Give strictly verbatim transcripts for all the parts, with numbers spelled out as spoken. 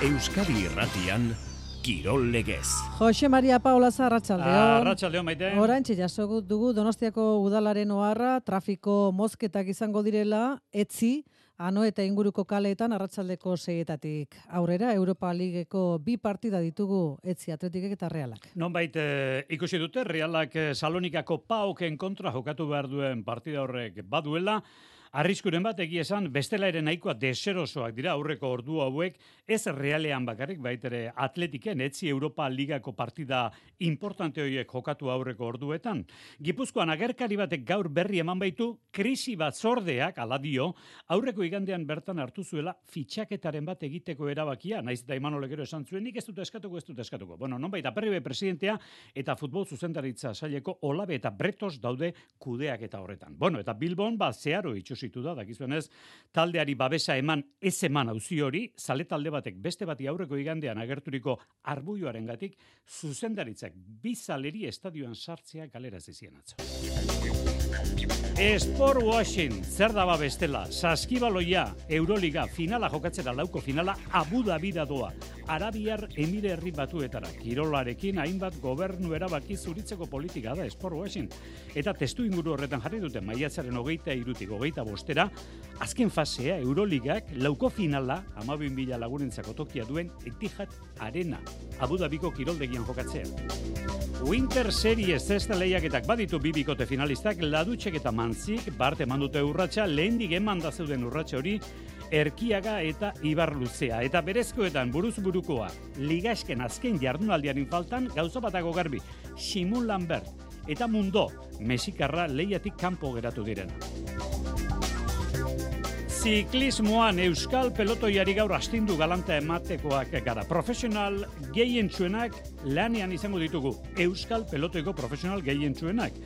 Euskadi Irratian, Kirol Legez. Jose Maria Paulaza, arratsaldeon. Arratsaldeon, maite. Oraintxe jaso dugu Donostiako udalaren oharra, trafiko mozketak izango direla, etzi, Ano eta inguruko kaleetan arratsaldeko seietatik aurrera. Europa Ligeko bi partida ditugu, etzi, Atletikek eta Realak. Nonbait eh, ikusi dute, Realak eh, Salonikako Paoken kontra jokatu behar duen partida horrek baduela. Arriskuren bat egia esan, bestela ere nahikoa deserosoak dira aurreko ordu hauek, ez Realean bakarrik, baitere Atletiken, etzi Europa Ligako partida importante horiek jokatu aurreko orduetan. Gipuzkoan agerkari batek gaur berri eman baitu, krisi batzordeak, ala dio, aurreko igandean bertan hartu zuela fitxaketaren bat egiteko erabakia, naiz eta Imanol gero esan zuen, nik ez dut eskatuko, ez dut eskatuko. Bueno, nonbait, Aperribe presidentea eta futbol zuzendaritza saileko Olabe eta Bretos daude kudeak eta horretan. Bueno, eta Bilbon, ba, zeharo itxusi da, dakizuenez, taldeari babesa eman ez eman auzi hori, zale talde batek beste bati aurreko igandean agerturiko arbuioaren gatik, zuzendaritzak bizaleri estadioan sartzea galera zizien atzo. Sport washing, zer daba bestela, saskibaloia, Euroliga, finala jokatzera lauko finala, Abu Dhabi doa, Arabiar Emire Herri Batuetara, kirolarekin hainbat gobernu erabaki zuritzeko politika da sport washing, eta testu inguru horretan jarri dute maiatzaren hogeita irutik hogeita bostera, azken fasea Euroligak lauko finala, hamabi mila lagunentzako tokia duen Etihad Arena, Abu Dhabiko kiroldegian jokatzea. Winter Series ez da lehiaketak baditu bi bikote finalistak, Ladutxek eta Mantzik, bart eman dute urratsa, lehendik eman da zeuden urratsa hori, Erkiaga eta Ibarluzea. Eta berezkoetan buruz burukoa, ligasken azken jardunaldiarin faltan, gauza batago garbi, Simon Lambert eta Mundo, Mexikarra lehiatik kanpo geratu direna. Ziklismoan Euskal pelotoiari gaur astindu galanta ematekoak gara. Profesional gehientsuenak lanean izango ditugu. Euskal pelotoiko profesional gehientsuenak.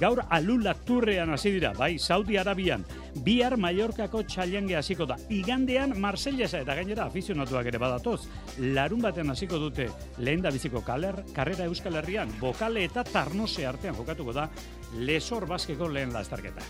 Gaur Alula Turrean hasi dira, bai, Saudi Arabian. Bihar Mallorcako txailange hasiko da. Igandean Marsellesa eta gainera afizionatuak ere badatoz. Larun batean hasiko dute lehen da biziko kaler, karrera Euskal Herrian. Bokale eta Tarnose artean jokatuko da Lesor Baskeko lehen lasterketa.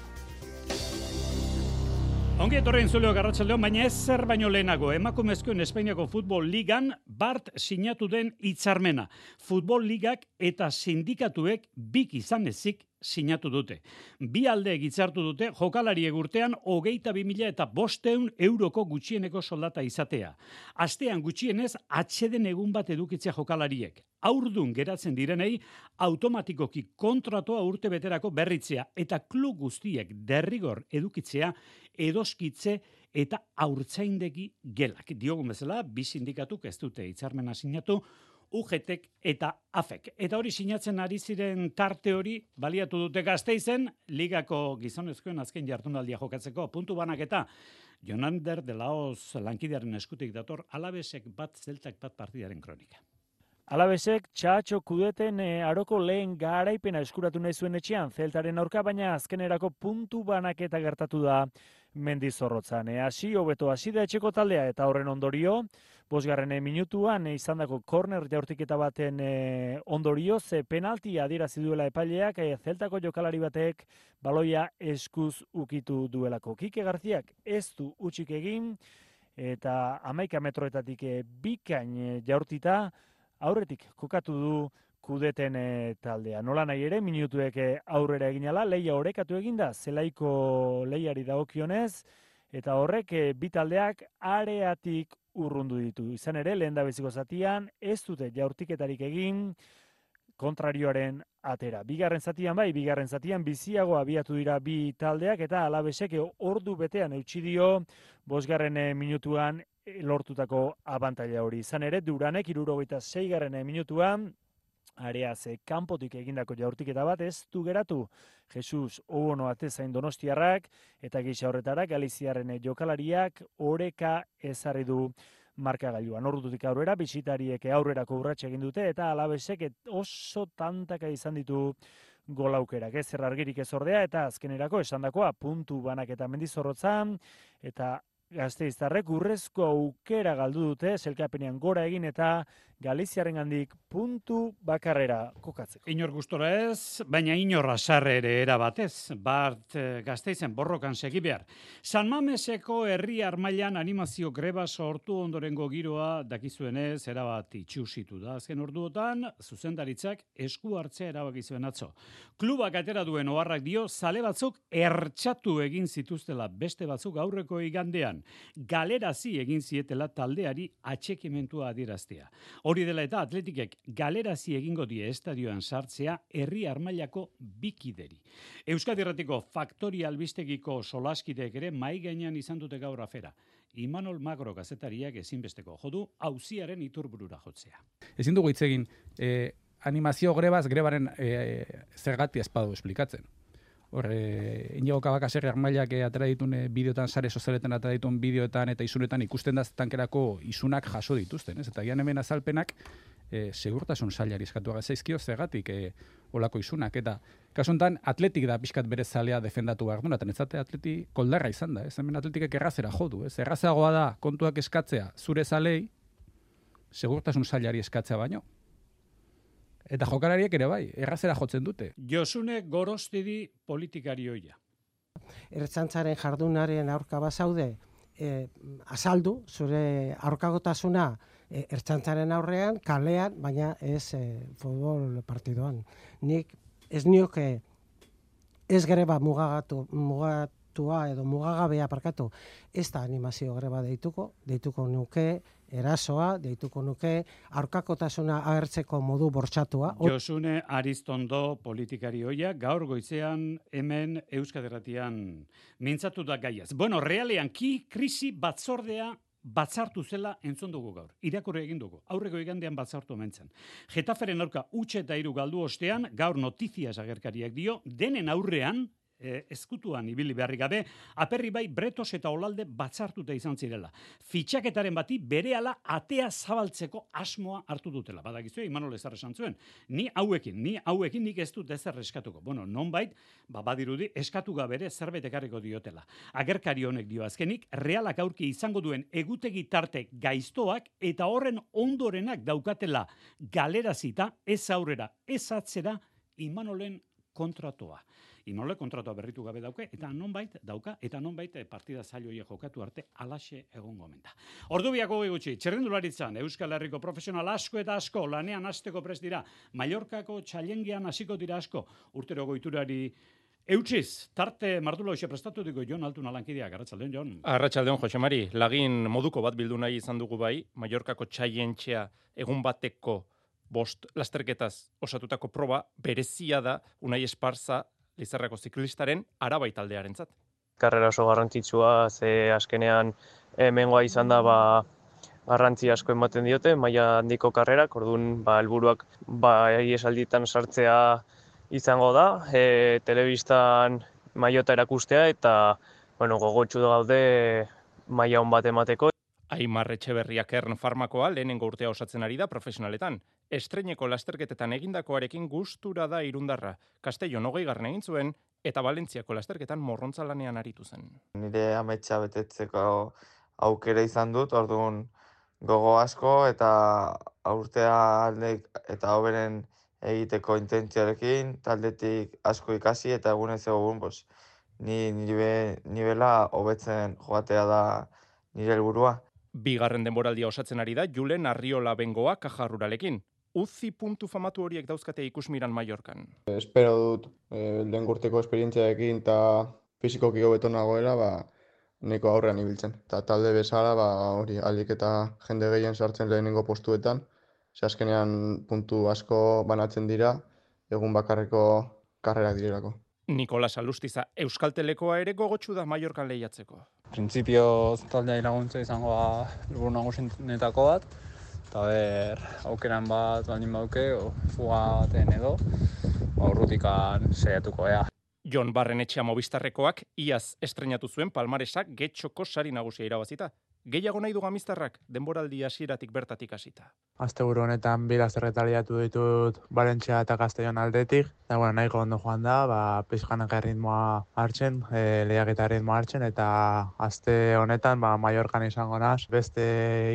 Ongi etorri entzuleok arratsaldeon, baina ez zer baino lehenago, emakumezkoen Espainiako Futbol Ligan bart sinatu den hitzarmena. Futbol Ligak eta sindikatuek bik izan ezik sinatu dute. Bi aldeek hitzartu dute jokalariek urtean hogeita bi mila eta bosteun euroko gutxieneko soldata izatea. Astean gutxienez atseden egun bat edukitzea jokalariek. Haurdun geratzen direnei automatikoki kontratoa urte beterako berritzea eta klub guztiek derrigor edukitzea edoskitze eta haurtzaindegi gelak. Diogun bezala, bi sindikatuk ez dute hitzarmena sinatu, U G T eta A F E K. Eta hori sinatzen ari ziren tarte hori baliatu dute Gasteizen, ligako gizonezkoen azken jardunaldia jokatzeko puntu banaketa. Jonander de Laoz lankidearen eskutik dator, Alabesek bat zeltak bat partidaren kronika. Alabesek txatxo kudeten e, aroko lehen garaipena eskuratu nahi zuen etxean, zeltaren aurka, baina azkenerako puntu banaketa gertatu da Mendizorrotzan. E, hasi hobeto hasi da etxeko taldea eta horren ondorio, bosgarren minutuan e, izandako korner jaurtiketa baten e, ondorio, ze penalti adierazi duela epaileak, e, zeltako jokalari batek baloia eskuz ukitu duelako. Kike Garziak ez du utxik egin, eta hamaika metroetatik e, bikain e, jaurtita, aurretik kokatu du kudeten e, taldea. Nola nahi ere, minutuek e, aurrera eginala, leia orekatu eginda, zelaiko leiari dagokionez, eta horrek e, bi taldeak areatik urrundu ditu. Izan ere, lehen da beziko zatian, ez dute jaurtiketarik egin kontrarioaren atera. Bigarren zatian bai, bigarren zatian biziago abiatu dira bi taldeak, eta Alabesek ordu betean eutsi dio, bosgarren e, minutuan lortutako abantaila hori. Izan ere, Duranek hirurogeita seigarren minutuan areaz kanpotik egindako jaurtiketa bat ez du geratu. Jesus Obono atezain Donostiarrak eta gisa horretara Galiziarren jokalariak oreka ezarri du markagailuan. Ordutik aurrera bisitariek aurrerako urratsa egin dute eta Alabesek oso tantaka izan ditu gol aukerak. Ez zer argirik ez ordea eta azkenerako esandakoa puntu banaketa Mendizorrotzan eta Gasteiztarrek urrezko aukera galdu dute, zelkapenean gora egin eta Galiziarengandik puntu bakarrera kokatzeko. Inor gustora ez, baina inor asarre ere erabatez, Bart Gasteizen borrokan segi behar. San Mameseko herri armailan animazio greba sortu ondorengo giroa dakizuenez erabat itxusitu da. Azken orduotan, zuzendaritzak esku hartzea erabaki zuen atzo. Klubak atera duen oharrak dio, zale batzuk ertxatu egin zituztela beste batzuk aurreko igandean. Galerazi egin zietela taldeari atxekimentua adieraztea. Hori dela eta Atletikek galerazi egingo die estadioan sartzea herri armailako bikideri. Euskadi Irratiko Faktoria albistegiko solaskideek ere mai gainean izan dute gaur afera. Imanol Magro kazetariak ezinbesteko jodu auziaren iturburura jotzea. Ezin dugu hitz egin eh, animazio grebaz grebaren eh, zergatia espadu esplikatzen. Hor, e, Inigo Kabakaserri armailak atera ditun e, bideotan, sare sozialetan atera ditun bideoetan eta isunetan ikusten da tankerako isunak jaso dituzten, ez? Eta gian hemen azalpenak e, segurtasun sailari eskatu zaizkio zergatik e, olako isunak. Eta kasuntan Atletik da pixkat bere zalea defendatu behar duna, eta netzate Atleti koldarra izan da, ez? Hemen Atletikek errazera jodu, ez? Errazagoa da kontuak eskatzea zure zalei segurtasun sailari eskatzea baino. Eta jokalariek ere bai, errazera jotzen dute. Josune Gorostidi politikari hoia. Ertzaintzaren jardunaren aurka bazaude, e, azaldu zure aurkagotasuna e, ertzaintzaren aurrean, kalean, baina ez e, futbol partidoan. Nik ez nioke ez greba mugagatu, mugatua edo mugagabea parkatu, ez da animazio greba deituko, deituko nuke erasoa, deituko nuke aurkakotasuna agertzeko modu bortxatua. Josune Aristondo politikari hoia, gaur goizean hemen Euskadi Irratian mintzatu da gaiaz. Bueno, realean ki krisi batzordea batzartu zela entzun dugu gaur. Irakurri egin dugu. Aurreko igandean batzartu omentzen. Getaferen aurka utxe eta hiru galdu ostean, gaur notiziaz agerkariak dio, denen aurrean, E, ezkutuan ibili beharrik gabe, Aperri bai Bretos eta Olalde batzartuta izan zirela. Fitxaketaren bati berehala atea zabaltzeko asmoa hartu dutela. Badakizue, Imanol ezar esan zuen. Ni hauekin, ni hauekin nik ez dut ezer eskatuko. Bueno, nonbait, ba, badirudi eskatu gabe ere zerbait ekarriko diotela. Agerkari honek dio azkenik, Realak aurki izango duen egutegi tarte gaiztoak eta horren ondorenak daukatela galerazita, ez aurrera, ez atzera, Imanolen kontratoa. Imanole kontratua berritu gabe dauke, eta nonbait dauka, eta nonbait partida zailoia jokatu arte alaxe egongo menta. Ordu biako gutxi, txerrendularitzan, Euskal Herriko profesional asko eta asko lanean hasteko prest dira, Mallorcako txalengian hasiko dira asko, urtero goiturari eutxiz, tarte mardula hoxe prestatu diko Jon Altuna lankideak, arratsaldeon Jon. Arratsaldeon Jose Mari, lagin moduko bat bildu nahi izan dugu bai, Mallorcako txaientxea egun bateko bost lasterketaz osatutako proba berezia da Unai Esparza Lizarrako ziklistaren Arabai taldearentzat. Karrera oso garrantzitsua, ze azkenean hemengoa izan da ba, garrantzi asko ematen diote, maila handiko karrerak, orduan ba, helburuak ba, esalditan sartzea izango da, e, telebistan mailota erakustea eta bueno, gogotsu gaude maila on bat emateko. Aimar Etxeberria Kern Farmakoa lehenengo urtea osatzen ari da profesionaletan. Estreineko lasterketetan egindakoarekin gustura da Irundarra. Castellon hogeigarren egin zuen eta Valentziako lasterketan morrontza lanean aritu zen. Nire ametsa betetzeko aukera izan dut, orduan gogo asko eta aurtea aldek eta hoberen egiteko intentzioarekin, taldetik asko ikasi eta egunez egun pues, ni nibe, nibela hobetzen joatea da nire helburua. Bigarren denboraldia osatzen ari da Julen Arriola Bengoa Kajarruralekin. Uzi puntu famatu horiek dauzkate ikusmiran Mallorcan. Espero dut, eh, lehen urteko esperientziarekin eta fizikoki hobeto nagoela, ba, nahiko aurrean ibiltzen. Eta talde bezala, ba, hori alik eta jende gehien sartzen lehenengo postuetan, ze azkenean puntu asko banatzen dira, egun bakarreko karrerak direlako. Nikolas Alustiza Euskaltelekoa ere gogotsu da Mallorcan lehiatzeko. Printzipioz taldea laguntza izango da helburu nagusienetako bat, eta ber, aukeran bat baldin bauke, o fuga baten edo, aurrutikan saiatuko ea. Jon Barrenetxea Movistarrekoak iaz estreinatu zuen palmaresak getxoko sari nagusia irabazita. Gehiago nahi du Gamiztarrak denboraldi hasieratik bertatik hasita. Asteburu honetan bi lasterketa liatu ditut Valentzia eta Castellon aldetik. Eta bueno, nahiko ondo joan da, ba, pixkanaka ritmoa hartzen, e, lehiaketa ritmoa hartzen, eta aste honetan ba, Mallorcan izango naz, beste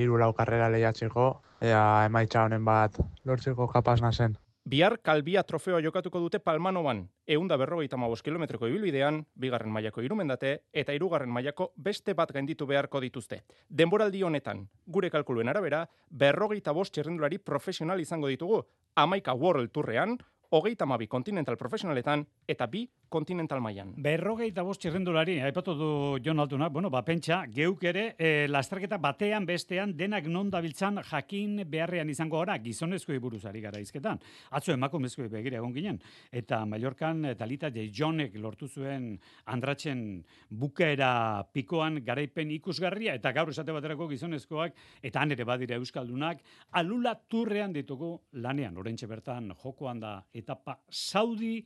hiru lau karrera lehiatzeko, ea emaitza honen bat lortzeko kapaz nazen. Bihar Kalbia trofeoa jokatuko dute Palmanoban, ehun eta berrogeita hamabost kilometroko ibilbidean, bigarren mailako Irumendate eta hirugarren mailako beste bat gainditu beharko dituzte. Denboraldi honetan, gure kalkuluen arabera, berrogeita bost txirrindulari profesional izango ditugu, hamaika World Tourrean, hogeita hamabi Continental Profesionaletan eta bi Continental mailan. Berrogeita bost txirrindulari, aipatu du Jon Altunak, bueno, ba, pentsa, geuk ere, e, lasterketa batean bestean denak non dabiltzan jakin beharrean izango gara, gizonezkoi buruzari gara izketan. Atzo emakumezkoi begira egon ginen, eta Mallorcan Talita J. Jonek lortu zuen Andratzen bukaera pikoan garaipen ikusgarria, eta gaur esate baterako gizonezkoak, eta han ere badira euskaldunak, Alula Turrean ditugu lanean, orentxe bertan jokoan da etapa Saudi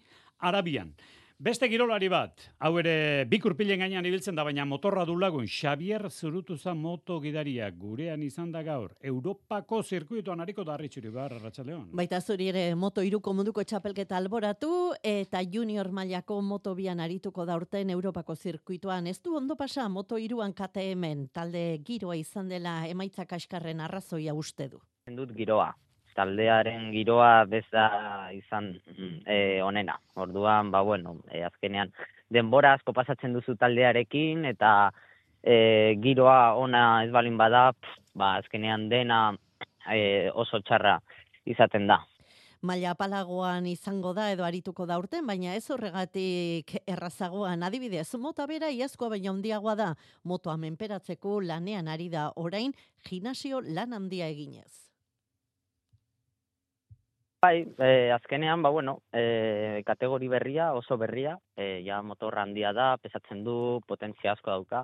Arabian. Beste kirolari bat, hau ere bikurpilen gainean ibiltzen da, baina motorra du lagun, Xavier Zurutuza moto gidaria, gurean izan da gaur, Europako zirkuituan hariko da Arritxuri bar, Arratsaldeon. Baita zuri ere moto iruko munduko txapelketa alboratu, eta junior mailako moto bian arituko da urten Europako zirkuituan. Ez du ondo pasa moto iruan K T M, talde giroa izan dela emaitza kaskarren arrazoia uste du. Dut giroa. Taldearen giroa beza izan e, onena. Orduan, ba bueno, e, azkenean denbora asko pasatzen duzu taldearekin eta e, giroa ona ez balin bada, pff, ba azkenean dena e, oso txarra izaten da. Maila apalagoan izango da edo arituko da urten, baina ez horregatik errazagoan. Adibidez, mota bera iazkoa baina handiagoa da. Motoa menperatzeko lanean ari da orain, gimnasio lan handia eginez. Bai, eh, azkenean, ba, bueno, eh, kategori berria, oso berria, eh, ja motorra handia da, pesatzen du, potentzia asko dauka,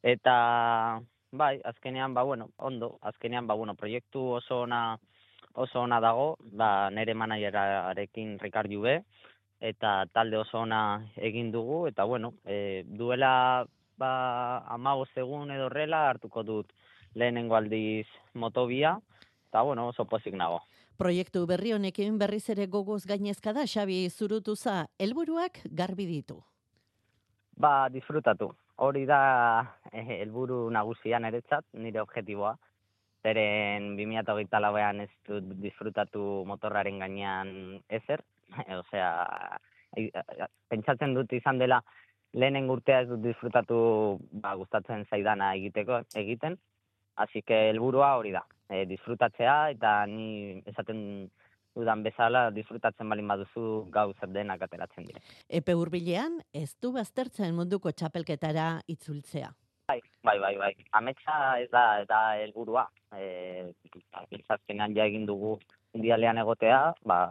eta, bai, azkenean, ba, bueno, ondo, azkenean, ba, bueno, proiektu oso ona, oso ona dago, ba, nere manajerarekin Ricard Jube, eta talde oso ona egin dugu, eta, bueno, eh, duela, ba, hamabost egun edo horrela, hartuko dut lehenengo aldiz motobia, eta, bueno, oso pozik nago. Proiektu berri honekin berriz ere gogoz gainezka da, Xabi Zurutuza, helburuak garbi ditu. Ba, disfrutatu. Hori da eh, helburu nagusia niretzat, nire objektiboa. Zeren bi mila hogeita lauean ez dut disfrutatu motorraren gainean ezer. Osea, pentsatzen dut izan dela lehenen urtea ez dut disfrutatu ba, gustatzen zaidana egiteko egiten. Así que helburua hori da, e, disfrutatzea eta ni esaten dudan bezala disfrutatzen balin baduzu gau zer denak ateratzen dire. Epe hurbilean ez du baztertzen munduko txapelketara itzultzea. Bai, bai, bai, bai. Ametsa ez da eta helburua. Eh, azkenean ja egin dugu mundialean egotea, ba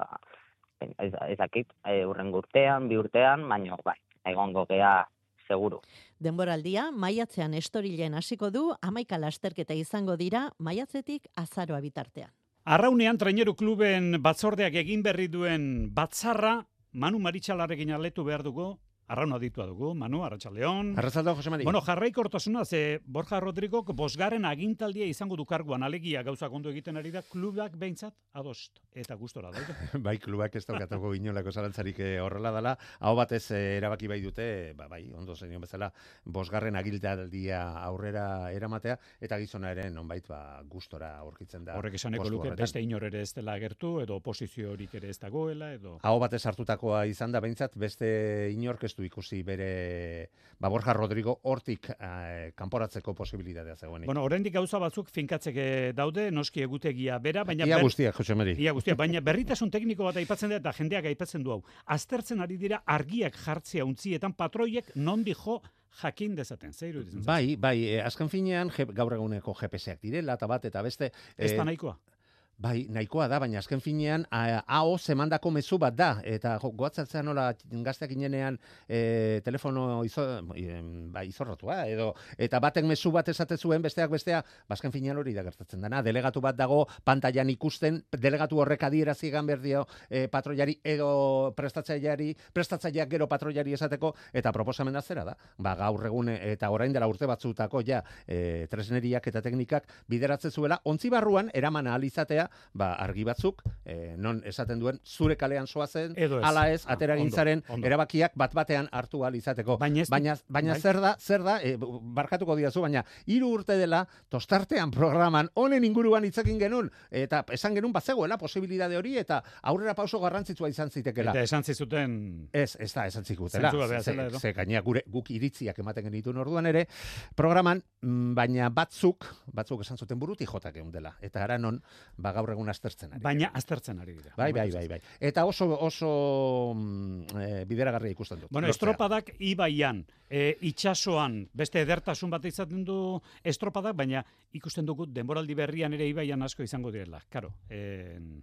ez dakit, e, hurrengo urtean, bi urtean, baino bai, egongo gea seguru. Denboraldia, maiatzean estorilen hasiko du, hamaika lasterketa izango dira, maiatzetik azaroa bitartean. Arraunean Traineru Kluben batzordeak egin berri duen batzarra, Manu Maritxalarekin aletu behar dugu, Arraun aditua dugu, Manu, Arratsaldeon. Arratsaldeon, Jose Mari. Bueno, jarraikortasuna, ze Borja Rodrigok bosgarren agintaldia izango du karguan, alegia gauza ondo egiten ari da, klubak behintzat adost eta gustora daude. Bai, klubak ez daukatuko inolako zalantzarik horrela dela, hau batez erabaki bai dute, ba, bai, ondo zenion bezala, bosgarren agintaldia aurrera eramatea, eta gizona ere nonbait ba, gustora aurkitzen da. Horrek esaneko luke, beste inor ere ez dela agertu, edo oposiziorik ere ez dagoela, edo... Hau batez hartutakoa izan da behintzat, beste inork du ikusi bere ba, Borja Rodrigo hortik eh, kanporatzeko posibilitatea zegoenik. Bueno, oraindik gauza batzuk finkatzeke daude, noski egutegia bera, baina ia ber... guztiak, Jose Mari. Ia guztiak, baina berritasun tekniko bat aipatzen da eta jendeak aipatzen du hau. Aztertzen ari dira argiak jartzea untzietan patroiek nondi jo jakin dezaten. Zer iruditzen? Bai, bai, eh, azken finean je, gaur eguneko G P S-ak direla eta bat eta beste ez da nahikoa. Bai, nahikoa da, baina azken finean A O zemandako mezu bat da, eta goatzatzen nola gazteak inenean e, telefono izo, e, ba, izorratua, edo, eta batek mezu bat esate zuen, besteak bestea, bazken finean hori da gertatzen dena, delegatu bat dago pantailan ikusten, delegatu horrek adierazi egan behar dio e, patroiari edo prestatzaileari, prestatzaileak gero patroiari esateko, eta proposamen zera da, ba, gaur egun eta orain dela urte batzutako ja, e, tresneriak eta teknikak bideratzen zuela, ontzi barruan eraman ahal izatea dira, ba, argi batzuk, e, non esaten duen, zure kalean soazen, Edo ez. ala ez, Ah, ateragintzaren ondo, ondo. erabakiak bat-batean hartu ahal izateko. Baina, ez- baina, baina bai. zer da, zer da, e, barkatuko diazu, baina hiru urte dela, tostartean programan, honen inguruan hitzekin genuen, eta esan genuen bazegoela posibilitate hori, eta aurrera pauso garrantzitsua izan zitekeela. Eta esan zizuten... Ez, ez da, esan zikutela. Zentzua behar Ze, zela, edo? ze gainera gure guk iritziak ematen genituen orduan ere, programan, mm, baina batzuk, batzuk esan zuten buruti jotak egun dela. Eta ara non, ba gaur egun aztertzen ari. Baina aztertzen ari dira. Bai, bai, bai, bai. Eta oso oso mm, e, bideragarria ikusten dut. Bueno, lortzea. estropadak ibaian, e, itsasoan, beste edertasun bat izaten du estropadak, baina ikusten dugu denboraldi berrian ere ibaian asko izango direla. Karo, en,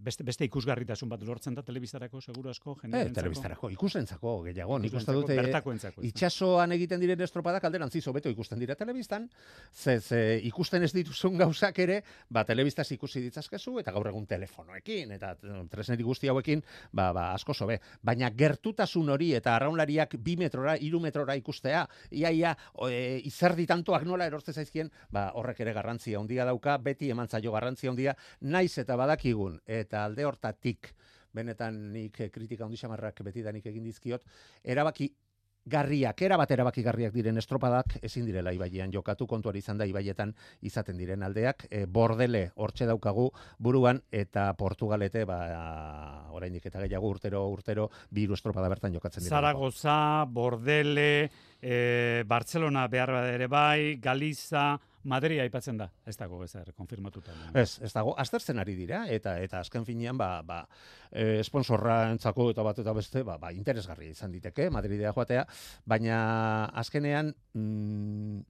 beste, beste ikusgarritasun bat lortzen da telebistarako, seguru asko, Eh, jendearentzako. telebistarako, ikustentzako gehiago. Nik uste Ikustentzako, dute bertakoentzako, ez da. itsasoan egiten diren estropadak alderantziz hobeto ikusten dira telebistan, ze, ze ikusten ez dituzun gauzak ere, ba, telebistaz ikusi ditzazkezu, eta gaur egun telefonoekin, eta tresneri guzti hauekin, ba, ba, asko sobe. Baina gertutasun hori eta arraunlariak bi metrora, hiru metrora ikustea, ia, ia, e, izerdi tantoak nola erortze zaizkien, ba, horrek ere garrantzia handia dauka, beti eman zaio garrantzia handia, naiz eta badakigun, eta alde hortatik, benetan nik eh, kritika handi xamarrak betidanik egin dizkiot, erabaki garriak, erabat erabaki garriak diren estropadak ezin direla ibaian jokatu, kontuari izan da ibaietan izaten diren aldeak, e, Bordele hortxe daukagu buruan, eta Portugalete, ba, oraindik eta gehiago urtero, urtero, bi hiru estropada bertan jokatzen dira. Zaragoza, Bordele, e, Barcelona behar bada ere bai, Galiza, Madrid aipatzen da, ez dago ezer, konfirmatuta. Ez, ez dago, aztertzen ari dira, eta eta azken finean, ba, ba, e, sponsorra entzako eta bat eta beste, ba, ba, interesgarria izan diteke, Madridea joatea, baina azkenean, mm,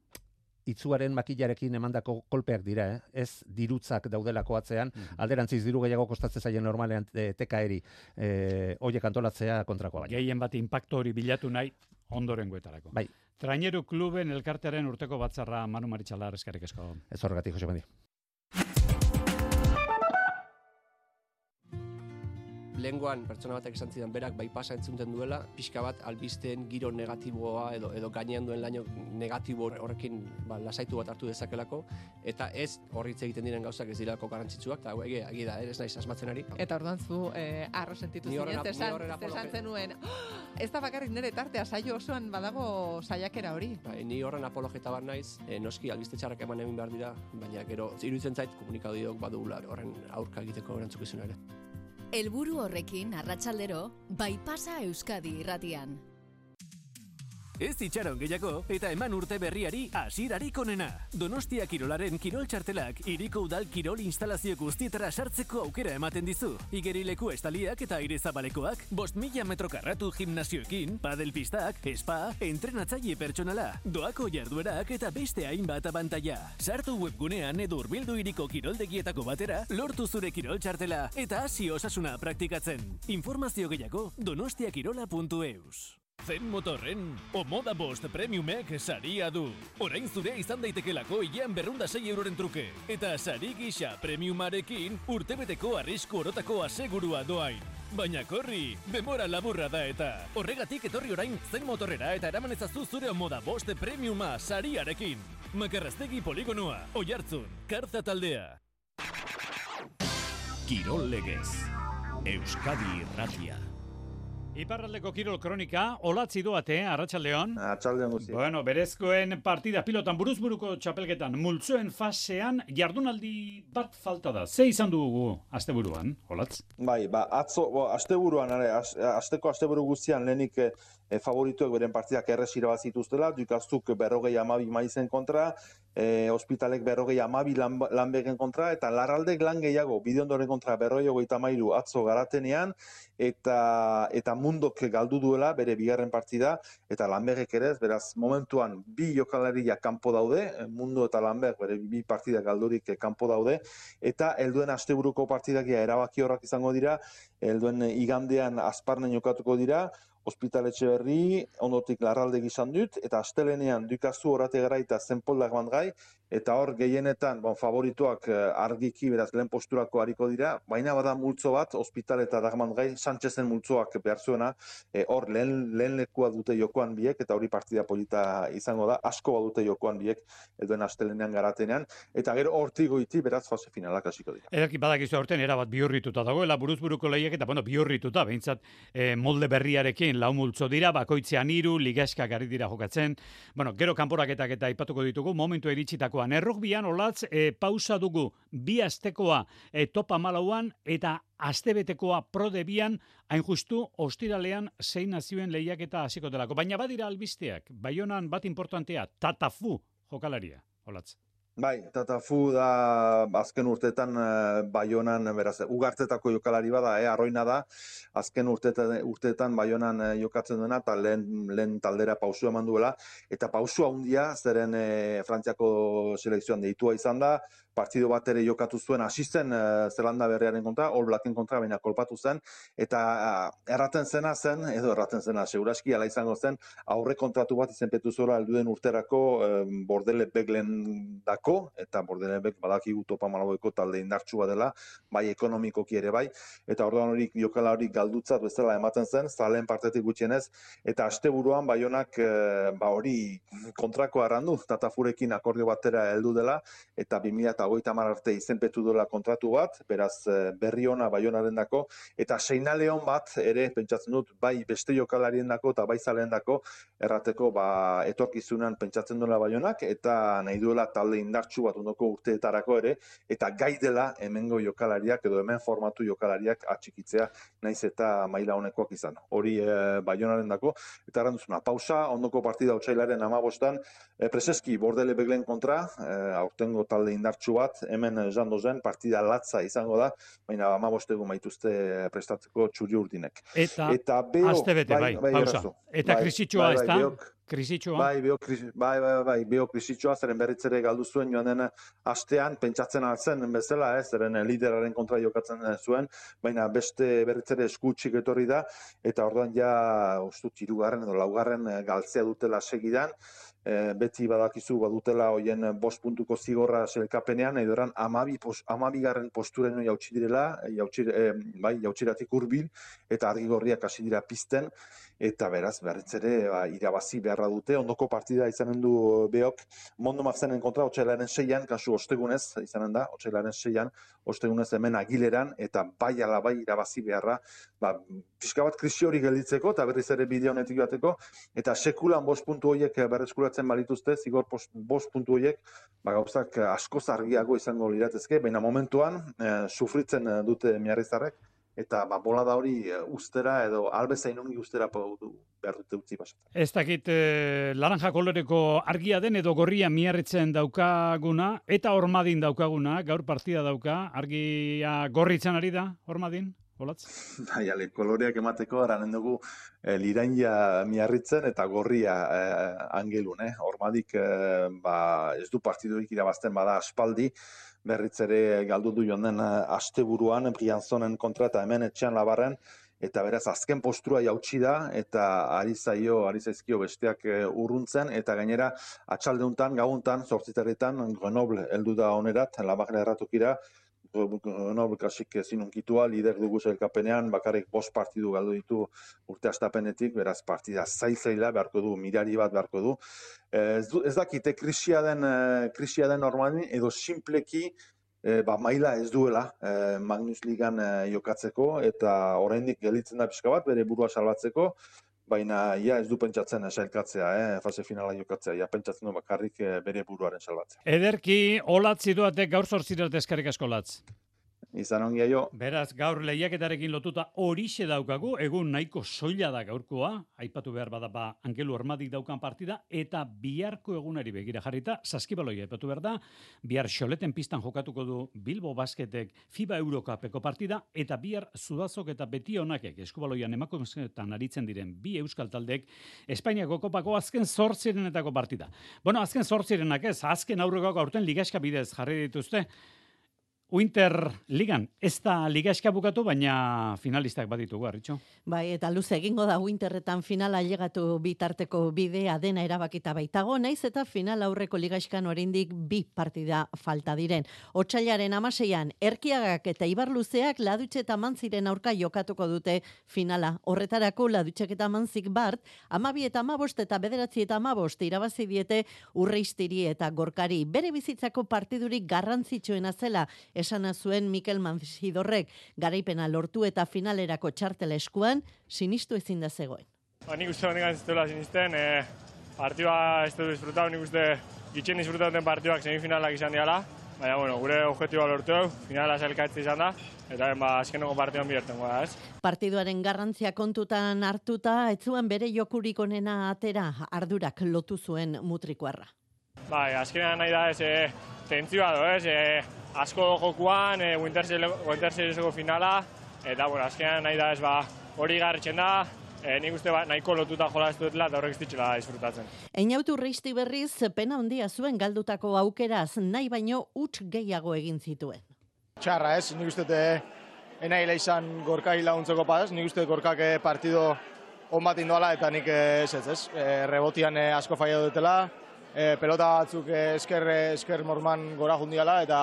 itzuaren makilarekin emandako kolpeak dira, eh? Ez dirutzak daudelako atzean, alderantziz diru gehiago kostatzen zaien normalean e, tekaeri, e, hoiek antolatzea kontrakoa baina. Gehien bat inpaktu hori bilatu nahi ondorengoetarako. Bai. Traineru kluben elkartearen urteko batzarra Manu Maritxalar eskerrik asko. Ez horregatik, Jose Mandi. Lehengoan pertsona batek esan zidan berak baipasa entzunten duela, pixka bat albisteen giro negatiboa edo edo gainean duen laino negatibo horrekin ba, lasaitu bat hartu dezakelako, eta ez horritz egiten diren gauzak ez dirako garrantzitsuak, eta egi, egi da, ez naiz asmatzen ari. Eta orduan zu eh, arro sentitu Ni horren zinen, ap- ni zesan, horren apologe- zesan zenuen, "Oh, ez da bakarrik nire tartea, saio osoan badago saiakera hori. Bai, ni horren apologeta bat naiz, e, noski albiste txarrak eman egin behar dira, baina gero iruditzen zait komunikabideok badugula horren aurka egiteko erantzukizuna ere. Helburu horrekin arratsaldero, Baipasa Euskadi irratian. Ez itxaron gehiago eta eman urte berriari hasierarik onena. Donostia Kirolaren kirol txartelak hiriko udal kirol instalazio guztietara sartzeko aukera ematen dizu. Igerileku estaliak eta aire zabalekoak, bost mila metro karratu gimnasioekin, padelpistak, spa, entrenatzaile pertsonala, doako jarduerak eta beste hainbat abantaila. Sartu webgunean edo hurbildu hiriko kiroldegietako batera, lortu zure kirol txartela eta hasi osasuna praktikatzen. Informazio gehiago donostiakirola puntu eus. Zen motorren, Omoda Bost Premiumek saria du. Orain zure izan daitekelako hilean berrunda sei euroren truke. Eta sari gisa premiumarekin urtebeteko arrisku orotako asegurua doain. Baina korri, demora laburra da eta. Horregatik etorri orain Zen motorrera eta eraman ezazu zure Omoda Bost Premiuma sariarekin. Makarrastegi poligonoa, Oiartzun, Kartza taldea. Kirol legez. Euskadi irratia. Iparraldeko kirol kronika, olatzi doate, arratsaldeon. Arratsaldeon guzti. Bueno, berezkoen partida pilotan buruzburuko txapelketan multzoen fasean jardunaldi bat falta da. Ze izan dugu asteburuan, olatz? Bai, ba, atzo, bo, asteburuan, are, az, asteko asteburu guztian lehenik e, favorituek beren partidak errez irabazituztela, Dukaztuk berrogei amabi maizen kontra, e, ospitalek berrogei amabi lan, lanbegen kontra, eta larraldek lan gehiago, bidiondoren kontra berrogei hogeita mairu atzo garatenean, eta, eta mundok galdu duela bere bigarren partida, eta lanbegek ere, beraz, momentuan bi jokalariak kanpo daude, mundo eta lanbeg bere bi partida galdurik kanpo daude, eta helduen asteburuko partidak erabaki horrak izango dira, helduen igandean Azparnen jokatuko dira, Ospitaletxe berri, ondotik larraldek izan dut, eta astelenean Dukazu Orategara eta Zenpoldak bandgai, eta hor gehienetan bon, favorituak argiki beraz lehen posturako hariko dira, baina bada multzo bat, Hospital eta Dagman Gai, Sánchezen multzoak behar zuena, e, hor lehen, lehen lekua dute jokoan biek, eta hori partida polita izango da, asko badute jokoan biek, eduen astelenean garatenean, eta gero hortik goiti beraz fase finalak hasiko dira. Ederki badakizu aurten erabat bihurrituta dagoela buruzburuko lehiak eta bueno, bihurrituta, behintzat eh, molde berriarekin lau multzo dira, bakoitzean hiru, ligaskak ari dira jokatzen, bueno, gero kanporaketak eta aipatuko ditugu, momentu iritsitakoan. Errugbian olatz e, pausa dugu bi astekoa e, topa malauan eta astebetekoa prodebian hain justu ostiralean zein nazioen lehiaketa hasiko delako. Baina badira albisteak, Baionan bat importantea, Tatafu jokalaria, olatz. Bai, Tatafu da azken urteetan uh, Baionan, beraz, ugartetako jokalari bada, eh, arroina da, azken urteetan, urteetan Baionan uh, jokatzen duena, eta lehen, lehen taldera pausu eman duela, eta pausu handia, zeren eh, Frantziako selekzioan deitua izan da, partido bat ere jokatu zuen asisten uh, Zelanda berriaren kontra, All Blacken kontra, baina kolpatu zen, eta uh, erraten zena zen, edo erraten zena, seguraski ala izango zen, aurre kontratu bat izenpetu zuela helduen urterako uh, Bordele Beglen dako, eta Bordele Beg badakigu topa malaueko talde indartsua dela, bai ekonomikoki ere bai, eta orduan hori jokala hori galdutzat bezala ematen zen, zalen partetik gutxienez, eta asteburuan Baionak uh, ba hori kontrako arrandu, Tatafurekin akordio batera heldu dela, eta bi mila hogeita hamar arte izenpetu duela kontratu bat, beraz berri ona Baionaren dako, eta seinale on bat ere pentsatzen dut bai beste jokalarien dako eta bai zaleen dako errateko ba, etorkizunan pentsatzen duela Baionak, eta nahi duela talde indartsu bat ondoko urteetarako ere, eta gai dela hemengo jokalariak edo hemen formatu jokalariak atxikitzea naiz eta maila honekoak izan. Hori e, Baionaren dako, eta erranduzuna, pausa, ondoko partida otsailaren amabostan, e, preseski Bordele Beglen kontra, e, aurtengo talde indartsu bat, hemen jando zen, partida latza izango da, baina amabostegu maituzte prestatzeko txuri urdinek. Eta, eta beo, astebete, bai, bai pausa. Bai, eta bai, krisitxoa bai, ez da? Krisitxoa? Bai, beo, kris, bai, bai, bai, beo krisitxoa, zeren berritzere galdu zuen joan den astean, pentsatzen altzen bezala, eh, zeren lideraren kontra jokatzen zuen, baina beste berritzere eskutxik etorri da, eta orduan ja, ustut, hirugarren edo laugarren galtzea dutela segidan, E, beti badakizu badutela hoien bost puntuko zigorra selkapenean, edo eran amabi, pos, amabigarren postureno jautsi direla, jautsi, e, bai, jautsiratik hurbil, eta argigorriak hasi dira pizten, eta beraz, berritzere ba, irabazi beharra dute, ondoko partida izanen du beok, Mondo Mazenen kontra, otsailaren seian, kasu ostegunez, izanen da, otsailaren seian, ostegunez hemen Agileran, eta bai ala bai irabazi beharra, ba, pixka bat krisi hori gelditzeko, eta berriz ere bide honetik bateko, eta sekulan bost puntu horiek berreskuratzen balituzte, zigor bost puntu horiek, ba, gauzak askoz argiago izango liratezke, baina momentuan, eh, sufritzen dute miarrizarrek, eta ba, bolada hori ustera edo albezain ongi ustera behar dute utzi pasatzen. Ez dakit eh, laranja koloreko argia den edo gorria miarritzen daukaguna, eta Ormadin daukaguna, gaur partida dauka, argia gorritzen ari da, Ormadin? Olatz? Bai, ale, koloreak emateko aranen dugu eh, liraina miarritzen eta gorria eh, angelun, eh? Ormadik eh, ba, ez du partidurik irabazten bada aspaldi, berriz ere galdu du joan den asteburuan Brianzonen kontra eta hemen etxean Labarren, eta beraz azken postura jautsi da, eta ari zaio, ari zaizkio besteak urruntzen, eta gainera atxaldeuntan, gauuntan, zortziterritan, Grenoble heldu da onerat, Labarren erratokira, Grenoble kasik zinunkitua, lider dugu zelkapenean, bakarrik bost partidu galdu ditu urte astapenetik, beraz partida zail-zaila beharko du, mirari bat beharko du. Ez, du, ez dakite krisia den, krisia den normalin, edo simpleki e, ba, maila ez duela e, Magnus Ligan e, jokatzeko, eta oraindik gelditzen da pixka bat, bere burua salbatzeko, baina ja ez du pentsatzen sailkatzea, eh, fase finala jokatzea, ja pentsatzen du bakarrik eh, bere buruaren salbatzea. Ederki, Olatz ziduatek gaur zortzirat eskerrik asko, Olatz. Izan ongia jo. Beraz, gaur lehiaketarekin lotuta horixe daukagu, egun nahiko soila da gaurkoa, aipatu behar badapa Angelu Ormadik daukan partida, eta biharko egunari begira jarrita, saskibaloia aipatu behar da, bihar xoleten pistan jokatuko du Bilbo Basketek FIBA Eurocupeko partida, eta bihar Zudazok eta Betionakek eskubaloian emakumezketan aritzen diren bi euskal taldek Espainiako kopako azken zortzirenetako partida. Bueno, azken zortzirenak ez, azken aurrekoak aurten ligaska bidez jarri dituzte, Winter Ligan, ez da liga eskabukatu, baina finalistak baditugu, Arritxo. Bai, eta luze egingo da Winterretan finala ailegatu bitarteko bidea dena erabakita baitago, naiz eta final aurreko ligaiskan oraindik bi partida falta diren. Otsailaren hamaseian Erkiagak eta Ibarluzeak Ladutxe eta Mantziren aurka jokatuko dute finala. Horretarako Ladutxek eta Mantzik bart, hamabi eta hamabost eta bederatzi eta hamabost irabazi diete Urreiztiri eta Gorkari. Bere bizitzako partidurik garrantzitsuena zela esana zuen Mikel Manzidorrek, garaipena lortu eta finalerako txartela eskuan, sinistu ezin da zegoen. Ba, nik uste honetan zituela sinisten, e, partidua ez du disfrutatu, nik uste gitxen disfrutatzen partiduak semifinalak izan diala, baina, bueno, gure objektiboa lortu dugu, finala zelkaitze izan da, eta ba, azkeneko partiduan bihurtengo da, ez? Partiduaren garrantzia kontutan hartuta, ez zuen bere jokurik onena atera, ardurak lotu zuen mutrikoarra. Bai, azkenean nahi da ez, e, tentzioa do, ez, e, asko jokuan, e, Winter Serieseko finala, eta, bueno, azkenean nahi da ez, ba, hori garritzen da, e, nik uste ba, nahiko lotuta jola ez dutela, eta horrek ez ditxela disfrutatzen. Einautu Urreizti berriz, pena handia zuen galdutako aukeraz, nahi baino huts gehiago egin zituen. Txarra ez, nik uste enaila izan Gorkai laguntzeko padaz, nik uste Gorkak partido on bat indoala, eta nik ez ez ez, e, rebotian e, asko faia dutela, e, pelota batzuk e, esker, esker morman gora jundiala, eta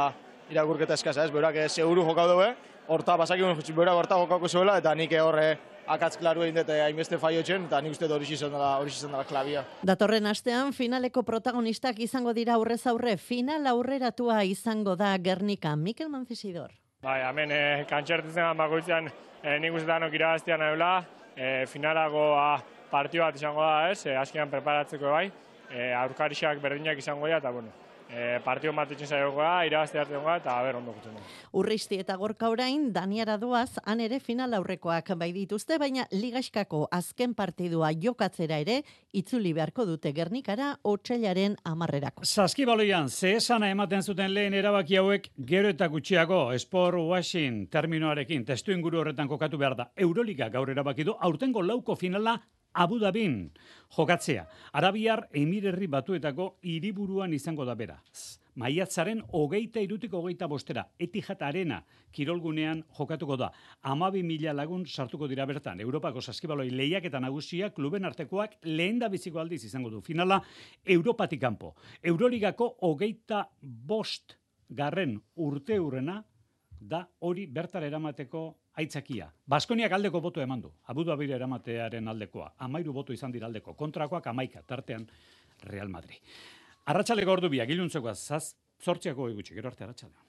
irakurketa eskasa ez, beurak e, seguru jokau dugu, horta basakimun beurak horta jokauko zuela, eta nik horre akatz klaru egin dut hainbeste faio txen, eta nik uste hori izan dela, hori izan dela klabia. Datorren astean finaleko protagonistak izango dira aurrez aurre, final aurreratua izango da Gernika. Mikel Manzidor. Bai, hemen e, kantxertuzen bakoitzean e, nik uste danok irabaztian nahi e, finalago a, partio bat izango da ez, e, azkenean preparatzeko bai, e, aurkarixak berdinak izango da, eta bueno, E, partio matitzen zaioko da, irabazte hartzen da, eta ber ondo gutzen da. Urreizti eta Gorka orain, Daniara doaz, han ere final aurrekoak bai dituzte, baina Ligaskako azken partidua jokatzera ere, itzuli beharko dute Gernikara otsailaren hamarrerako. Saskibaloian, ze esana ematen zuten lehen erabaki hauek gero eta gutxiago, Sport Washing terminoarekin, testu inguru horretan kokatu behar da. Euroliga gaur erabaki du, aurtengo lauko finala Abu Dhabin jokatzea. Arabiar Emirerri Batuetako hiriburuan izango da beraz. Maiatzaren hogeita irutik hogeita bostera, Etihad Arena kirolgunean jokatuko da. Hamabi mila lagun sartuko dira bertan. Europako saskibaloi lehiak eta nagusia kluben artekoak lehen da biziko aldiz izango du. Finala Europatik kanpo. Euroligako hogeita bost garren urte hurrena da hori bertara eramateko aitzakia. Baskoniak aldeko boto eman du. Abu Dhabira eramatearen aldekoa. Amairu boto izan dira aldeko. Kontrakoak amaika, tartean Real Madrid. Arratsaleko ordu biak, iluntzekoa zaz, zortziako egutxe, gero arte arratsaldean.